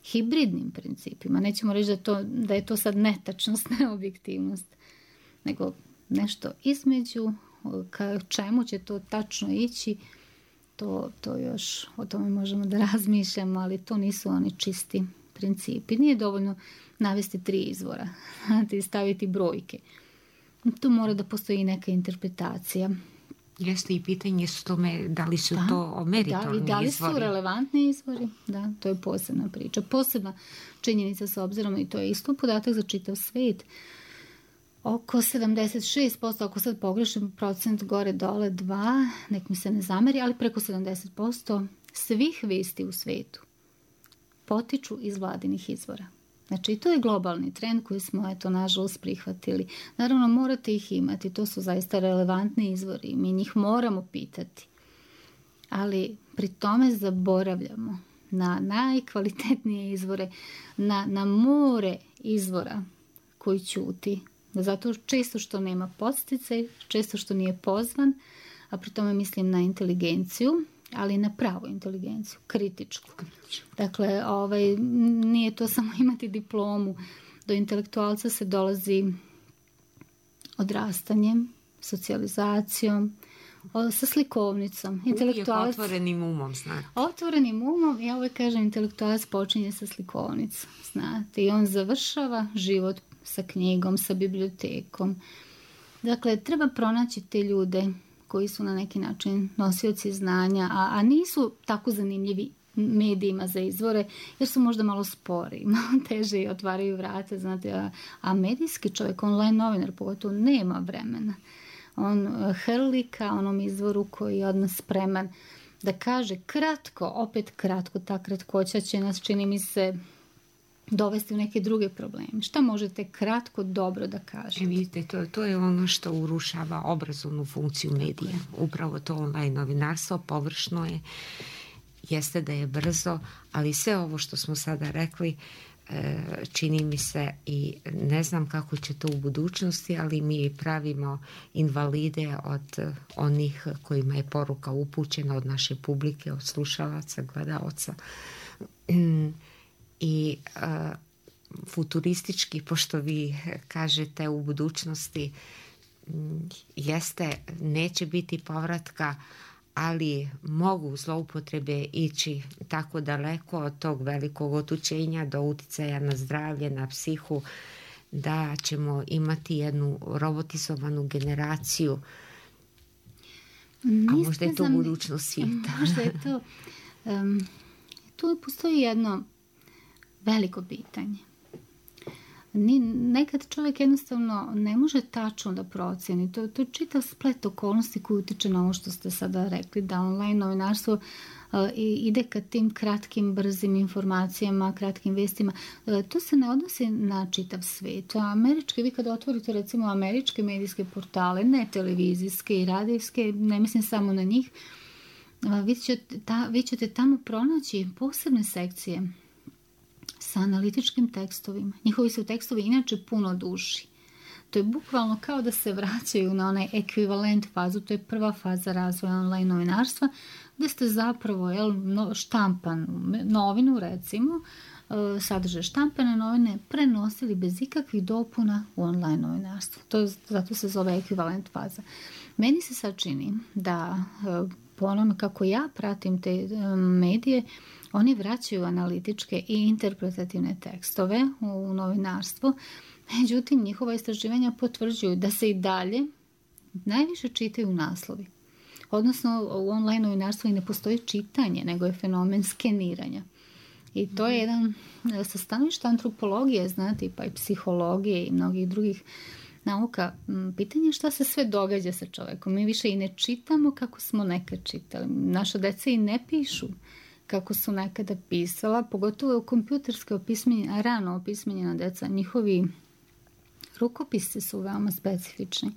Speaker 3: hibridnim principima. Nećemo reći da je to sad netačnost, neobjektivnost, nego nešto između, ka čemu će to tačno ići, to još o tome možemo da razmišljamo, ali to nisu oni čisti principi. Nije dovoljno navesti 3 izvora i staviti brojke. Tu mora da postoji neka interpretacija.
Speaker 2: Jeste i pitanje s tome da li su to meritorni izvori.
Speaker 3: Da li su relevantni izvori? Da, to je posebna priča. Posebna činjenica s obzirom, i to je isto podatak za čitav svet, oko 76%, ako sad pogrešim procent gore dole 2, nek mi se ne zameri, ali preko 70% svih vesti u svetu potiču iz vladinih izvora. Znači, i to je globalni trend koji smo, nažalost, prihvatili. Naravno, morate ih imati, to su zaista relevantni izvori, mi njih moramo pitati. Ali pri tome zaboravljamo na najkvalitetnije izvore, na more izvora koji ćuti. Zato često što nema podsticaj, često što nije pozvan, a pri tome mislim na inteligenciju, ali na pravu inteligenciju, kritičku. Dakle, nije to samo imati diplomu. Do intelektualca se dolazi odrastanjem, socijalizacijom, sa slikovnicom.
Speaker 2: Uvijek otvorenim umom, znate.
Speaker 3: Otvorenim umom, ja uvijek kažem, intelektualac počinje sa slikovnicom, znate. I on završava život sa knjigom, sa bibliotekom. Dakle, treba pronaći te ljude koji su na neki način nosioci znanja, a nisu tako zanimljivi medijima za izvore, jer su možda malo spori, malo teže i otvaraju vrata, znate, a medijski čovjek, online novinar, pogotovo nema vremena. On hrli ka onom izvoru koji je od nas spreman da kaže kratko, opet kratko, ta kratkoća će nas, čini mi se, dovesti u neke druge probleme. Šta možete kratko dobro da kažete?
Speaker 2: Vidite, to je ono što urušava obrazovnu funkciju medija. Upravo to online novinarstvo površno je, jeste da je brzo, ali sve ovo što smo sada rekli čini mi se, i ne znam kako će to u budućnosti, ali mi pravimo invalide od onih kojima je poruka upućena, od naše publike, od slušalaca, gledalaca. I futuristički, pošto vi kažete u budućnosti, jeste, neće biti povratka, ali mogu zloupotrebe ići tako daleko od tog velikog otuđenja do uticaja na zdravlje, na psihu, da ćemo imati jednu robotizovanu generaciju, a možda je to budućnost svijeta.
Speaker 3: Možda je to. Tu postoji jedno veliko pitanje. Nekad čovjek jednostavno ne može tačno da procjeni. To je čitav splet okolnosti koji utiče na ovo što ste sada rekli, da online novinarstvo ide ka tim kratkim, brzim informacijama, kratkim vestima. To se ne odnosi na čitav svijet. Vi kada otvorite recimo američke medijske portale, ne televizijske i radijske, ne mislim samo na njih, vi ćete tamo pronaći posebne sekcije sa analitičkim tekstovima. Njihovi su tekstovi inače puno duži. To je bukvalno kao da se vraćaju na onaj ekvivalent fazu. To je prva faza razvoja online novinarstva, gdje ste zapravo štampanu novinu, recimo, sadržaj štampane novine prenosili bez ikakvih dopuna u online novinarstvo. Zato se zove ekvivalent faza. Meni se sad čini da po onome kako ja pratim te medije, oni vraćaju analitičke i interpretativne tekstove u novinarstvo. Međutim, njihova istraživanja potvrđuju da se i dalje najviše čitaju naslovi. Odnosno, u online novinarstvu i ne postoji čitanje, nego je fenomen skeniranja. I to je jedan sa stanovišta antropologije, znate, pa i psihologije i mnogih drugih nauka. Pitanje je šta se sve događa sa čovjekom. Mi više i ne čitamo kako smo nekad čitali. Naša deca i ne pišu kako su nekada pisala, pogotovo u kompjuterske rano opismenjena deca. Njihovi rukopisi su veoma specifični.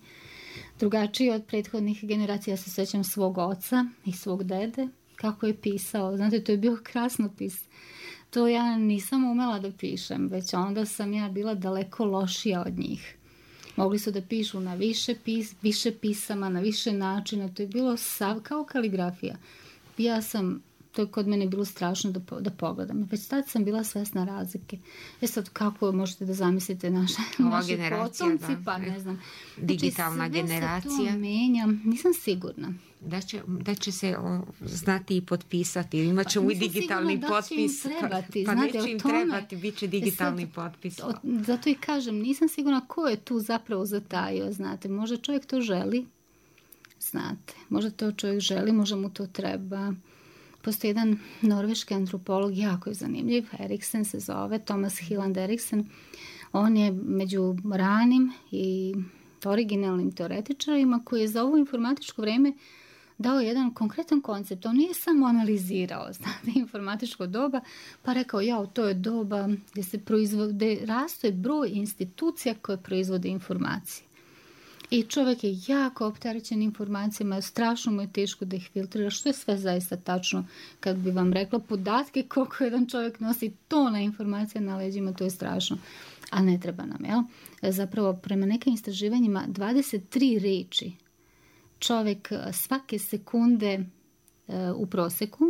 Speaker 3: Drugačiji od prethodnih generacija. Ja se sjećam svog oca i svog dede, kako je pisao. Znate, to je bio krasnopis. To ja nisam umela da pišem, već onda sam ja bila daleko lošija od njih. Mogli su da pišu na više pisama, na više načina, to je bilo kao kaligrafija. To je kod mene bilo strašno da pogledam. Već tad sam bila svesna razlike. Sad kako možete da zamislite naši potomci, pa ne znam.
Speaker 2: Digitalna generacija. Sve se to
Speaker 3: menja, nisam sigurna.
Speaker 2: Da će se znati i potpisati. Imat ćemo i digitalni potpis. Pa neće im trebati, bit će digitalni potpis.
Speaker 3: Zato i kažem, nisam sigurna ko je tu zapravo zatajio, znate. Možda čovjek to želi, znate. Možda to čovjek želi, možda mu to treba. Postoji jedan norveški antropolog, jako je zanimljiv, Eriksen se zove, Thomas Hilland Eriksen. On je među ranim i originalnim teoretičarima koji je za ovo informatičko vreme dao jedan konkretan koncept. On nije samo analizirao, znate, informatičko doba, pa rekao, to je doba gdje raste broj institucija koje proizvode informacije. I čovjek je jako opterećen informacijama, strašno mu je teško da ih filtrira, što je sve zaista tačno. Kad bi vam rekla podatke koliko jedan čovjek nosi tona informacija na leđima, to je strašno. A ne treba nam, jel? Zapravo, prema nekim istraživanjima, 23 reči čovjek svake sekunde u proseku,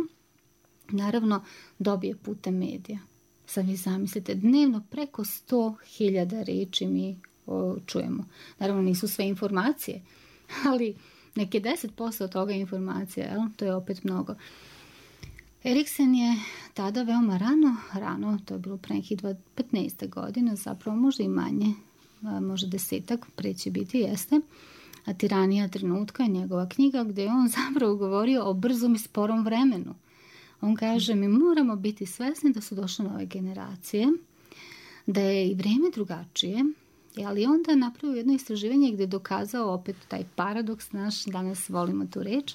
Speaker 3: naravno, dobije putem medija. Sad vi zamislite, dnevno preko 100.000 reči mi čujemo. Naravno, nisu sve informacije, ali neke 10% od toga je informacija, jel? To je opet mnogo. Eriksen je tada veoma rano, to je bilo pre nekih 15 godina, zapravo možda i manje, možda 10, pre će biti, jeste, a Tiranija trenutka je njegova knjiga gdje je on zapravo govorio o brzom i sporom vremenu. On kaže, mi moramo biti svesni da su došle nove generacije, da je i vrijeme drugačije, ali onda je napravio jedno istraživanje gdje je dokazao opet taj paradoks naš, danas volimo tu reč,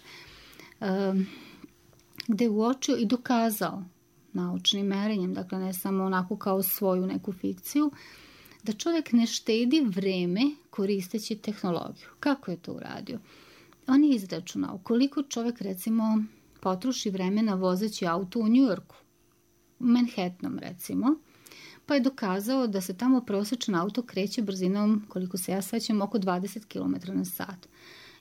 Speaker 3: gdje je uočio i dokazao naučnim merenjem, dakle ne samo onako kao svoju neku fikciju, da čovjek ne štedi vreme koristeći tehnologiju. Kako je to uradio? On je izračunao koliko čovjek recimo potroši vremena vozeći auto u New Yorku, u Manhattanom recimo, pa je dokazao da se tamo prosječan auto kreće brzinom, koliko se ja sećam, oko 20 km na sat.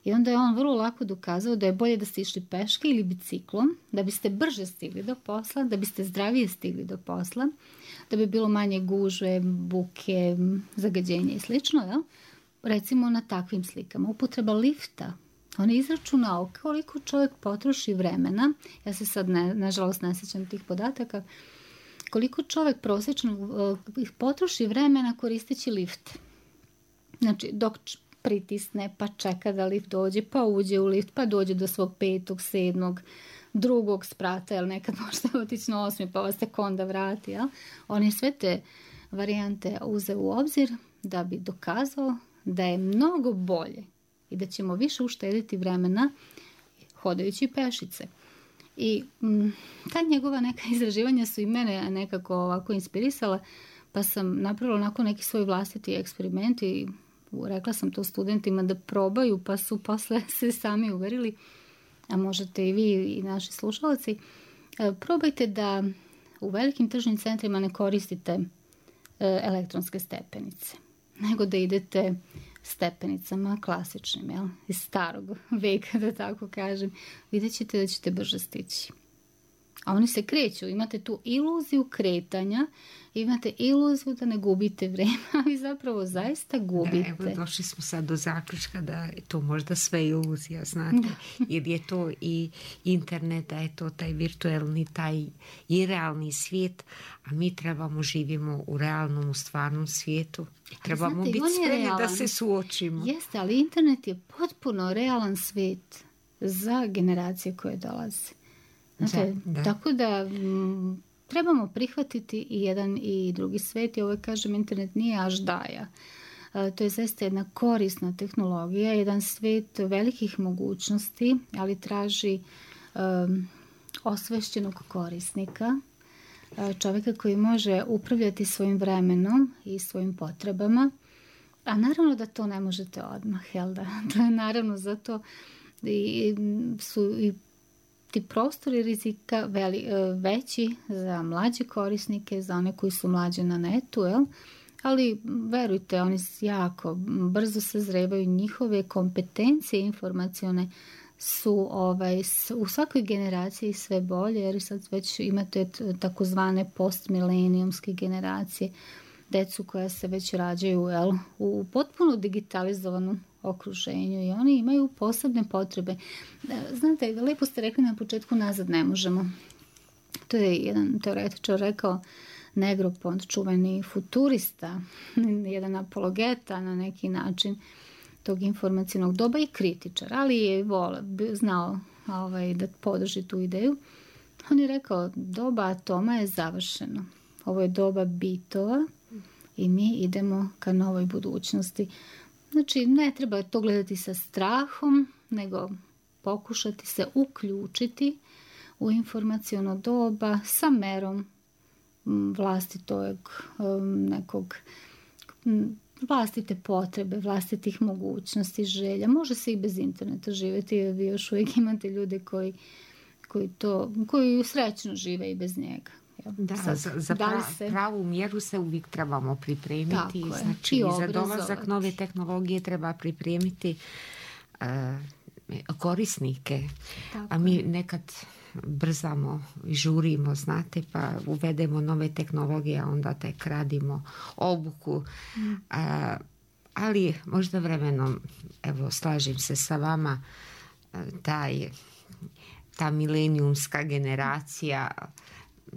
Speaker 3: I onda je on vrlo lako dokazao da je bolje da ste išli peške ili biciklom, da biste brže stigli do posla, da biste zdravije stigli do posla, da bi bilo manje gužve, buke, zagađenja i slično. Ja? Recimo na takvim slikama. Upotreba lifta. On je izračunao koliko čovjek potroši vremena, ja se sad nažalost ne sjećam tih podataka, koliko čovjek prosječno potroši vremena koristeći lift. Znači, dok pritisne, pa čeka da lift dođe, pa uđe u lift, pa dođe do svog 5., 7., 2. sprata, jer nekad možete otići na 8. pa vas tek onda vrati. Ja? On je sve te varijante uzeo u obzir da bi dokazao da je mnogo bolje i da ćemo više uštediti vremena hodajući pešice. I ta njegova neka izraživanja su i mene nekako ovako inspirisala, pa sam napravila onako neki svoj vlastiti eksperiment i rekla sam to studentima da probaju, pa su posle se sami uverili, a možete i vi i naši slušalci. Probajte da u velikim tržnim centrima ne koristite elektronske stepenice, nego da idete stepenicama klasičnim, jel? Iz starog veka, da tako kažem. Vidjet ćete da ćete brže stići. A oni se kreću, imate tu iluziju kretanja, imate iluziju da ne gubite vreme, ali zapravo zaista gubite.
Speaker 2: Evo, došli smo sad do zaključka da je to možda sve iluzija, znate, jer je to i internet, da je to taj virtualni, taj i realni svijet, a mi živimo u realnom, u stvarnom svijetu. Trebamo biti spremni da se suočimo.
Speaker 3: Jeste, ali internet je potpuno realan svijet za generacije koje dolaze. Znate, tako da trebamo prihvatiti i jedan i drugi svijet i ovo kažem, internet nije aždaja. To je zaista jedna korisna tehnologija, jedan svijet velikih mogućnosti, ali traži osvešćenog korisnika, čovjeka koji može upravljati svojim vremenom i svojim potrebama, a naravno da to ne možete odmah, jel da? To je naravno zato su i ti prostori rizika veći za mlađe korisnike, za one koji su mlađe na netu, jel? Ali verujte, oni jako brzo sazrevaju, njihove kompetencije informacione su u svakoj generaciji sve bolje, jer sad već imate takozvane postmilenijumske generacije, decu koja se već rađaju u potpuno digitalizovanom okruženju i oni imaju posebne potrebe. Znate, lepo ste rekli na početku, nazad ne možemo. To je jedan teoretičar rekao, Negropont, čuveni futurista, jedan apologeta na neki način tog informacijnog doba i kritičar, ali je znao da podrži tu ideju. On je rekao, doba atoma je završeno. Ovo je doba bitova i mi idemo ka novoj budućnosti. Znači, ne treba to gledati sa strahom, nego pokušati se uključiti u informaciono doba sa merom vlastite potrebe, vlastitih mogućnosti, želja. Može se i bez interneta živjeti, jer vi još uvijek imate ljude koji srećno žive i bez njega.
Speaker 2: Da, za pravu mjeru se uvijek trebamo pripremiti. Znači, za dolazak nove tehnologije treba pripremiti korisnike. A mi nekad brzamo i žurimo, znate, pa uvedemo nove tehnologije, a onda tek radimo obuku. Ali možda vremenom, evo, slažem se sa vama, ta milenijumska generacija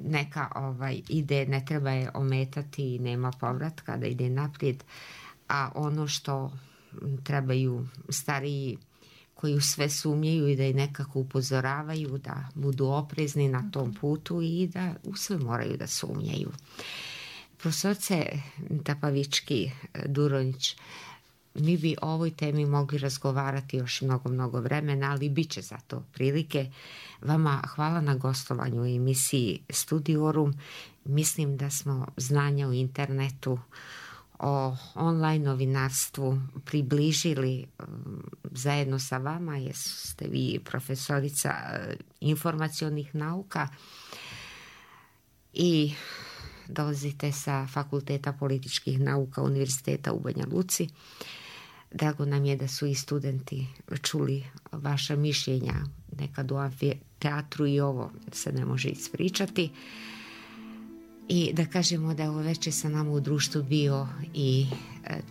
Speaker 2: neka ide, ne treba je ometati i nema povratka da ide naprijed, a ono što trebaju stariji koji u sve sumnjaju i da je nekako upozoravaju da budu oprezni na tom putu i da u sve moraju da sumnjaju. Profesorce Tapavički Duronjić, mi bi o ovoj temi mogli razgovarati još mnogo vremena, ali bit će za to prilike. Vama hvala na gostovanju u emisiji Studiorum. Mislim da smo znanja u internetu, o online novinarstvu približili zajedno sa vama, jer ste vi profesorica informacionih nauka i dolazite sa Fakulteta političkih nauka Univerziteta u Banja Luci. Drago nam je da su i studenti čuli vaša mišljenja. Nekad u amfiteatru i ovo se ne može ispričati. I da kažemo da je ovo večer sa nama u društvu bio i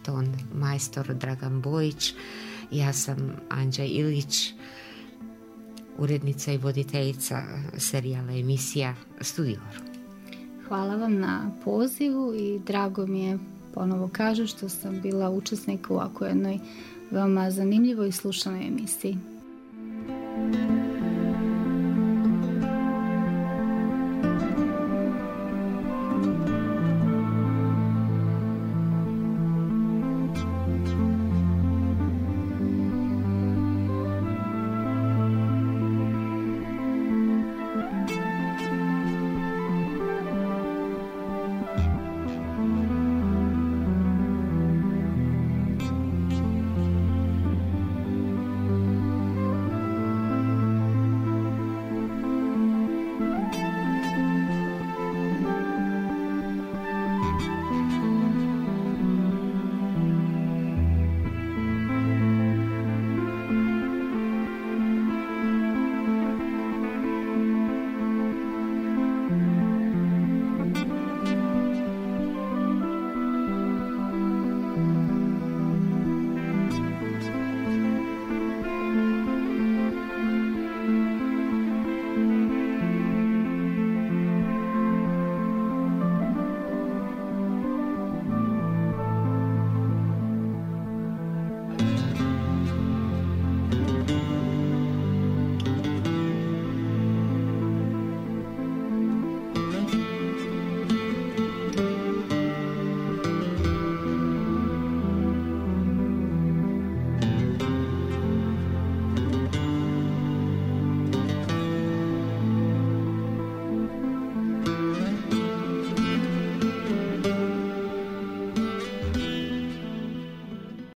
Speaker 2: ton majstor Dragan Bojić. Ja sam Anđa Ilić, urednica i voditeljica serijala emisija Studior.
Speaker 3: Hvala vam na pozivu i drago mi je, ponovo kažem, što sam bila učesnik u ovako jednoj veoma zanimljivoj i slušanoj emisiji.